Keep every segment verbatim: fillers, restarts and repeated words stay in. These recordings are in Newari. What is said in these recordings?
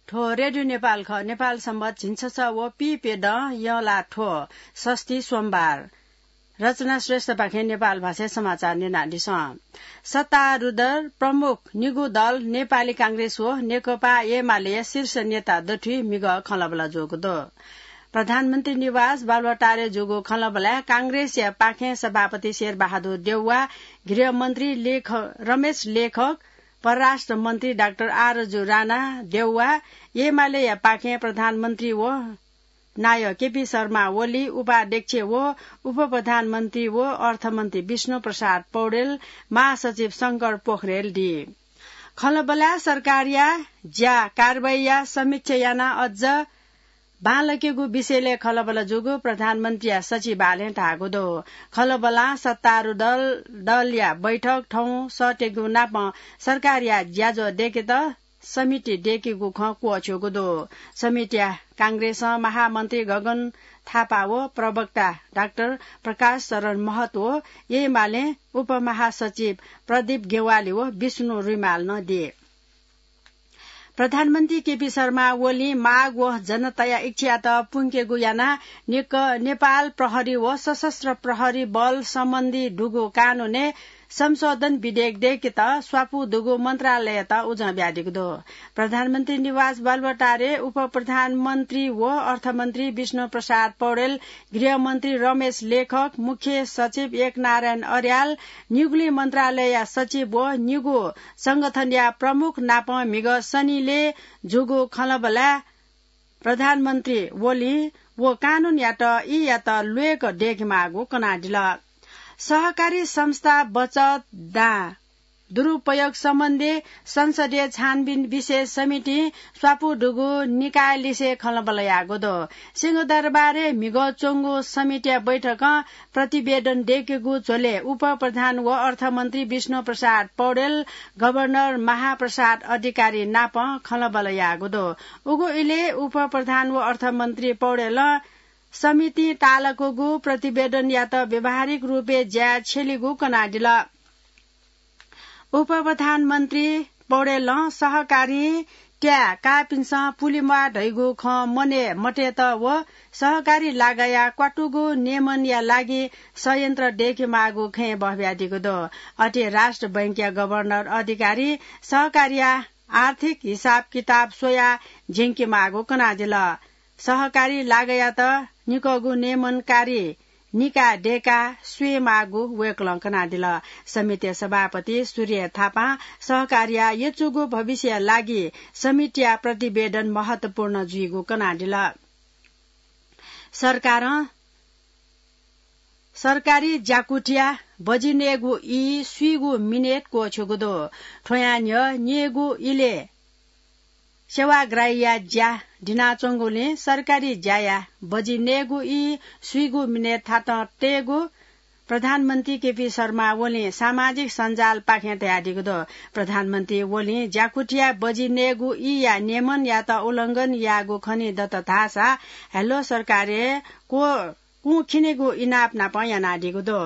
थ्व रेडियो नेपाल खः। नेपाल संवत झिंछसः व पीप्यदँ यंलाथ्व षष्ठी सोमबार। रचना श्रेष्ठपाखें नेपाल भाषाय् समाचार न्यनादिसँ। सत्तारूढ प्रमुख निगू दल नेपाली कांग्रेस व नेकपा एमालेया शीर्ष नेता दथुइ म्हिगः खँल्हाबल्हा जूगु दु। प्रधानमन्त्री निवास बालुवाटारय् जूगु खँल्हाबल्हाय् कांग्रेसया पाखें सभापति शेरबहादुर देउवा, गृहमन्त्री लेख-, रमेश लेखक, परराष्ट्र मन्त्री डाक्टर आरजु राणा देउवा, एमालेया पाखें प्रधानमन्त्री व नायः केपी शर्मा ओली, उपाध्यक्ष व उपप्रधानमन्त्री व अर्थमन्त्री विष्णु प्रसाद पौडेल, महासचिव शंकर पोखरेल दी। खँल्हाबल्हाय् सरकारया ज्या कारवाहीया समीक्षा यानाः अझ बांलाकेगु विषयलय् खँल्हाबल्हा जूगु प्रधानमन्त्रीया सचिवालयं धाःगु दु। खँल्हाबल्हां सत्तारूढ दल, दलया बैठक थौं सःतेगु नापं सरकारया ज्याझ्वः दय्केत समिति दय्केगु खँ क्वःछ्यूगु दु। समितिया कांग्रेसं महामन्त्री गगन थापा व प्रवक्ता डाक्टर प्रकाश शरण महतो व एमालें उपमहासचिव प्रदीप ज्ञवाली व विष्णु रिमाल नं दी। प्रधानमन्त्री केपी शर्मा ओलीं माग व जनताया इच्छायात पुंकेगु यानाः नेक-, नेपाल प्रहरी व सशस्त्र प्रहरी बल सम्बन्धी दुगु कानूनय् संशोधन विधेयक दय्केत स्वापू दुगु मन्त्रालययात उजं बियादीगु दु। प्रधानमन्त्री निवास बालुवाटारय् उपप्रधानमन्त्री व अर्थमन्त्री विष्णु प्रसाद पौडेल, गृहमन्त्री रमेश लेखक, मुख्य सचिव एकनारायण अर्याल, निगुलिं मन्त्रालयया सचिव व निगू संगठनया प्रमुख नाप म्हिगः शनिलय् जूगु खँल्हाबल्हाय् प्रधानमन्त्री ओलीं व कानूनयात ईयात ल्वय्क दय्केमाःगु कनादिल। सहकारी संस्था बचत दां दुरुपयोग सम्बन्धी संसदीय छानबिन विशेष समितिं स्वापू दुगु निकायलिसे खँल्हाबल्हा याःगु दु। सिंहदरबारय् म्हिगः च्वंगु समितिया बैठकं प्रतिवेदन दय्केगु झ्वलय् उपप्रधान व अर्थमन्त्री विष्णु प्रसाद पौडेल, गभर्नर महाप्रसाद अधिकारी नाप खँल्हाबल्हा याःगु दु। उगु इलय् उपप्रधान व अर्थमन्त्री पौडेलं समितिं तालाकूगु प्रतिवेदनयात व्यावहारिक रूपय् ज्याय् छ्यलीगु कनादिल। उपप्रधानमन्त्री पौडेलं सहकारीं त्याय् काःपिन्सं पुलेम्वाः धइगु खँ मनय् मतयेत व सहकारी लागःया क्वातुगु नियमनया लागि षड्यन्त्र दय्केमाःगु खँय् बहबियादीगु दु। अथे राष्ट्र बैंकया गभर्नर अधिकारी सहकारीया आर्थिक हिसाब किताब स्वयाः ज्यंकेमाःगु कनादिल। सहकारी लागःयात निकःगु नियमनकारी निकाः दय्काः स्वयेमाःगु वय्कलं कनादिल। समितिया सभापति सूर्य थापां सहकारीया यचुगु भविष्यया लागि समितिया प्रतिवेदन महत्वपूर्ण जुइगु कनादिल। सरकारं सरकारी ज्याकुथिया बजि नयेगु ई स्वीगू मिनेट क्वःछ्यूगु दु। थ्वयां न्ह्यः न्येगू इलय् सेवाग्राहीया ज्या दिनाच्वंगुलिं सरकारी ज्याया बजि नयेगु ई स्वीगू मिनेट थातं तयेगु प्रधानमन्त्री केपी शर्मा ओलीं सामाजिक सञ्जालपाखें धयादीगु दु। प्रधानमन्त्री ओलीं ज्याकुथिया बजि नयेगु ईया नियमनयात उल्लंघन याःगु खनेदत धाःसा हेल्लो सरकारय् क्व-, कुँ खिनेगु इनाप नाप यानादीगु दु।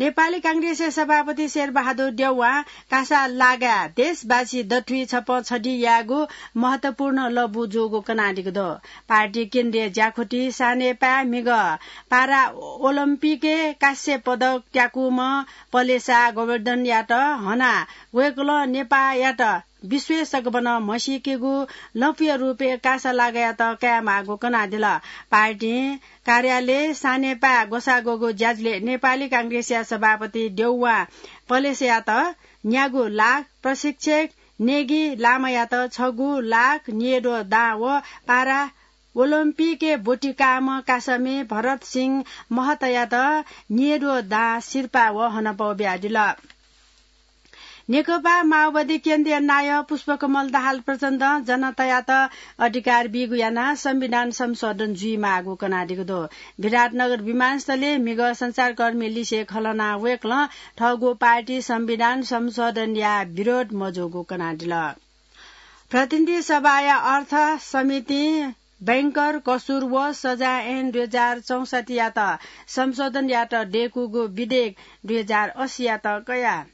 नेपाली कांग्रेसया सभापति शेरबहादुर देउवां कासा लागाय् देशवासी दथुइ छपं छधी यायेगु महत्वपूर्ण लँपु जूगु कनादीगु दु। पार्टी केन्द्रीय ज्याकुथि सानेपाय् म्हिगः पारा ओलम्पिकय् कांस्य पदक त्याकूम्ह पलेसा गोवर्धनयात हनाः वय्कलं नेपाःयात विश्वय् सकभनं म्हसीकेगु लँपुया रूपय् कासा लागायात कायेमाःगु कनादिल। पार्टीं कार्यालय सानेपाय् ग्वसाः ग्वःगु ज्याझ्वलय् नेपाली कांग्रेसया सभापति देउवां पलेसायात न्यागू लाख, प्रशिक्षक नेगी लामायात छगू लाख, न्येद्वः दां व पारा ओलम्पिकय् ब्वति काःम्ह कासामि भरत सिंह महतयात न्येद्वः दां सिरपाः व हनापौ बियादिल। नेकपा माओवादी केन्द्रीय नायः पुष्पकमल दाहाल प्रचण्डं जनतायात अधिकार बीगु यानाः संविधान संशोधन जुइमाःगु कनादीगु दु। विराटनगर विमानस्थलय् म्हिगः सञ्चारकर्मी लिसे खँ ल्हानाः वय्कलं थःगु पार्टी संविधान संशोधनया विरोध मजूगु कनादिल। प्रतिनिधि सभाया अर्थ समितिं बैंकर कसूर व सजाय ऐन दुई हजार चौसठ्ठीयात संशोधन यायेत दय्कूगु विधेयक दुई हजार अस्सीयात कयाः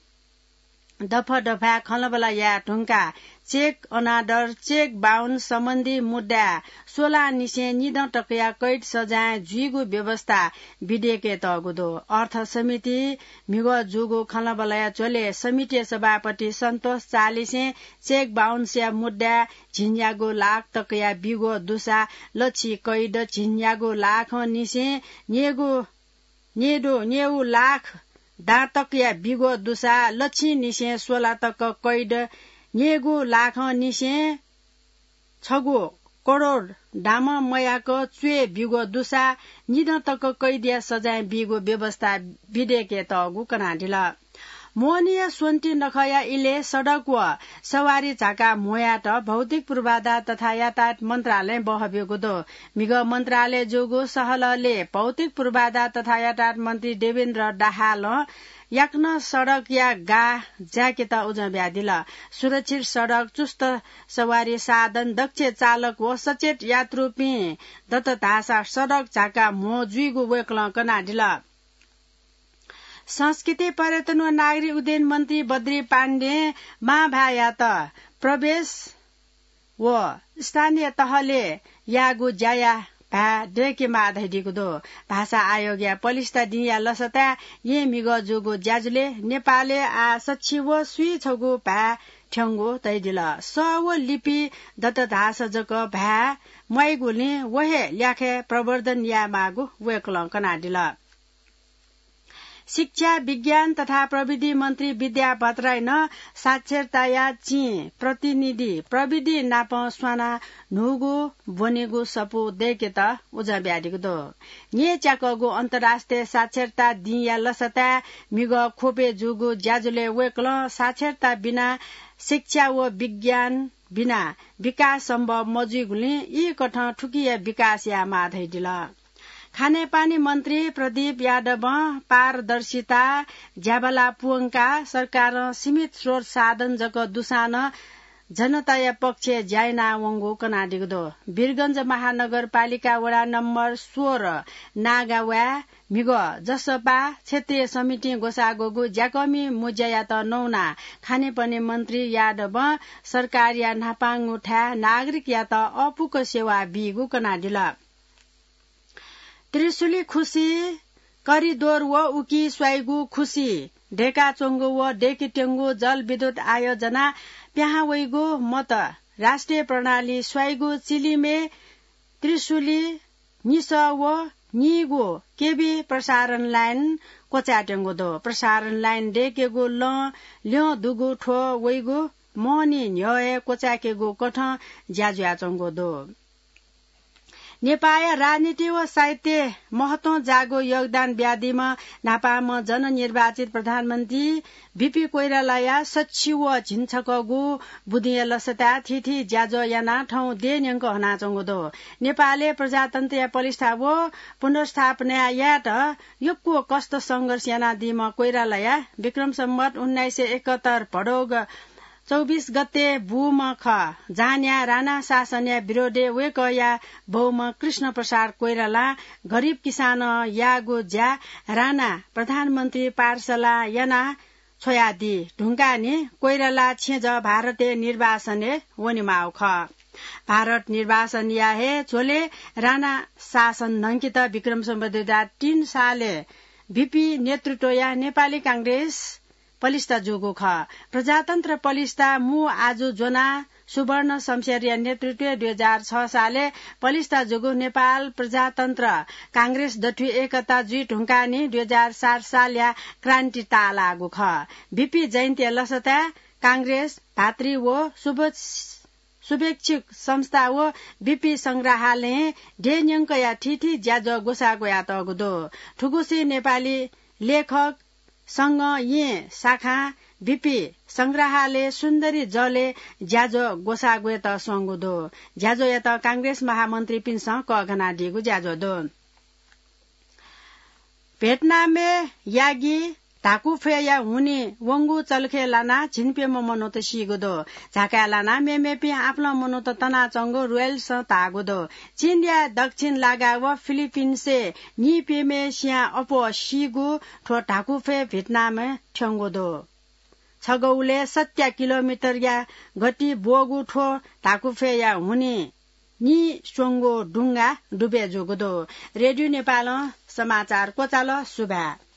दफा दफाय् खँल्हाबल्हा याये धुंकाः check अनादर, check bounce सम्बन्धी मुद्दाय् सोलांनिसें निदँ तकया कैद सजाँय जुइगु व्यवस्था बिधेयकय् तःगु दु। अर्थ समिति म्हिगः जूगु खँल्हाबल्हाया झ्वलय् समितिया सभापति सन्तोष चालिसें check bounce या मुद्दाय् झिंन्यागू लाख तकया बिगु दुसा लछि कैद, झिंन्यागू लाखंनिसें न्येगू न्येदु, न्येगू लाख दां तकया बिगु दुसा लछिंनिसें सोला तक कैद, न्येगू लाखंनिसें छगू करोड दामं मयाक च्वय् बिगु दुसा निदँ तक कैदया सजाँय बीगु व्यवस्था बिधेयकय् तःगु कनादिल। मोहनीया स्वन्ति नखःया इलय् सडक व सवारी झाका म्होयात भौतिक पूर्वाधार तथा यातायात मन्त्रालयं बहःब्यूगु दु। म्हिगः मन्त्रालय जूगु सहलहलय् भौतिक पूर्वाधार तथा यातायात मन्त्री देवेन्द्र दाहालं याकनं सडकया गाः जायेकेत उजं बियादिल। सुरक्षित सडक, चुस्त सवारी साधन, दक्ष चालक व सचेत यात्रुपिं दत धाःसा सडक झाका म्हो जुइगु वय्कलं कनादिल। संस्कृति, पर्यटन व नागरिक उड्डयन मन्त्री बद्री पाण्डें मांभाय्‌यात प्रवेश व स्थानीय तहलय् याःगु ज्याया भाय् दय्केमाः धयादीगु दु। भाषा आयोगया पलिस्था दिंया लसताय् येँ म्हिगः जूगु ज्याझ्वलय् नेपालय् आः सछि व स्वीछगू भाय् थ्यंगु धयादिल। सः व लिपि दत धाःसा जक भाय् म्वाइगुलिं व हे ल्याखय् प्रवर्धन यायेमाःगु वय्कलं कनादिल। शिक्षा, विज्ञान तथा प्रविधि मन्त्री विद्या भट्टराईं साक्षरताया चिं प्रतिनिधि प्रविधि नाप स्वानाः न्हूगु ब्वनेगु सफू दय्केत उजं बियादीगु दु। न्येच्याकःगु अन्तर्राष्ट्रिय साक्षरता दिंया लसताय् म्हिगः ख्वपय् जूगु ज्याझ्वलय् वय्कलं साक्षरता बिना शिक्षा व विज्ञान बिना विकास सम्भव मजुइगुलिं ई कथं थुकिया विकास यायेमाः धयादिल। खानेपानी मन्त्री प्रदीप यादवं पारदर्शिता ज्याभला प्वंकाः सरकारं सीमित स्रोत साधन जक दुसां नं जनताया पक्षय् ज्या यानावंगु कनादीगु दु। वीरगंज महानगरपालिका वडा नम्बर सोह्र नागावाय् म्हिगः जसपा क्षेत्रीय समितिं ग्वसाः ग्वःगु ज्याकःमि मुँज्यायात नवानाः खानेपानी मन्त्री यादवं सरकारया न्हापांगु थाय् नागरिकयात अःपुक सेवा बीगु कनादिल। त्रिशुली खुसी, करिडोर व उकी स्वाइगु खुसी, दय्काच्वंगु व दय्केत्यंगु जलविद्युत आयोजना पिहां वइगु मत राष्ट्रिय प्रणाली स्वाइगु चिलिमय् त्रिशुली निसः व नीगू केभी प्रसारण लाइन क्वचायेत्यंगु दु। प्रसारण लाइन दय्केगु लँ ल्यं दुगु थ्व वइगु महनी न्ह्यः हे क्वचायेकेगु कथं ज्या जुयाच्वंगु दु। नेपाःया राजनीति व साहित्यय् महत्वं जाःगु योगदान बियादीम्ह न्हापांम्ह जननिर्वाचित प्रधानमन्त्री बीपी कोइरालाया सछि व झिंछकःगु बुदिंया लसताय् थीथी ज्याझ्वः यानाः थौं देय् न्यंक हनाच्वंगु दु। नेपालय् प्रजातन्त्रया पलिस्था व पुनर्स्थापना यायेत यक्व कष्ट संघर्ष यानादीम्ह कोइरालाया विक्रम सम्वत उन्नाइस सय एकहत्तर भदौग चौबिस गते बूम्ह खः। जहाँनिया राणा शासनया विरोधय् वय्कःया बौम्ह कृष्ण प्रसाद कोइरालां गरिब किसानं याःगु ज्या राणा प्रधानमन्त्री पाठशालां याना छ्वयादी धुंकाः नि कोइराला छेँजः भारतय् निर्वासनय् वनेमाःगु खः। भारत निर्वासनया हे झ्वलय् राणा शासन न्हंकेत विक्रम सम्वत दुई हजार तीन सालय् बीपी नेतृत्वया नेपाली कांग्रेस पलिस्था जूगु खः। प्रजातन्त्र पलिस्था मू आजु ज्वनाः सुवर्ण शमशेरया नेतृत्वय् दुई हजार छ सालय् पलिस्था जूगु नेपाल प्रजातन्त्र कांग्रेस दथुइ एकता जुइ धुंकाः नि दुई हजार सात सालया क्रान्ति ताःलाःगु खः। बीपी जयन्तीया लसताय् कांग्रेस, भातृ व शुभेच्छुक संस्था व बीपी संग्रहालयं देय् न्यंकया थीथी ज्याझ्वः ग्वसाः ग्वयातःगु दु। थुगुसी नेपाली लेखक संघं येँ शाखां बीपी संग्रहालय सुन्दरी जलय् ज्याझ्वः ग्वसाः ग्वयेत स्वंगु दु। ज्याझ्वःयात कांग्रेस महामन्त्रीपिन्सं कःघानादीगु ज्याझ्वः दु। भियतनामय् यागी धाकुफ्वय्‌या हुनिं वंगु चलखय् लानाः झिंप्यम्ह मनूत सीगु दु। झाकाय् लानाः मेमेपिं आपालं मनूत तनाच्वंगु रोयल्सं धाःगु दु। चीनया दक्षिण लागा व फिलिपिन्सय् नीप्यम्हय् सियां अप्वः सीगु थ्व धाकुफ्वय् भियतनामय् थ्यंगु दु। छगौले सत्या किलोमिटरया गति ब्वःगु थ्व धाकुफय्‌या हुनिं निस्वंगु ढुङ्गा डुबय् जूगु दु। रेडियो नेपालं समाचार क्वचाल। सुभाय्।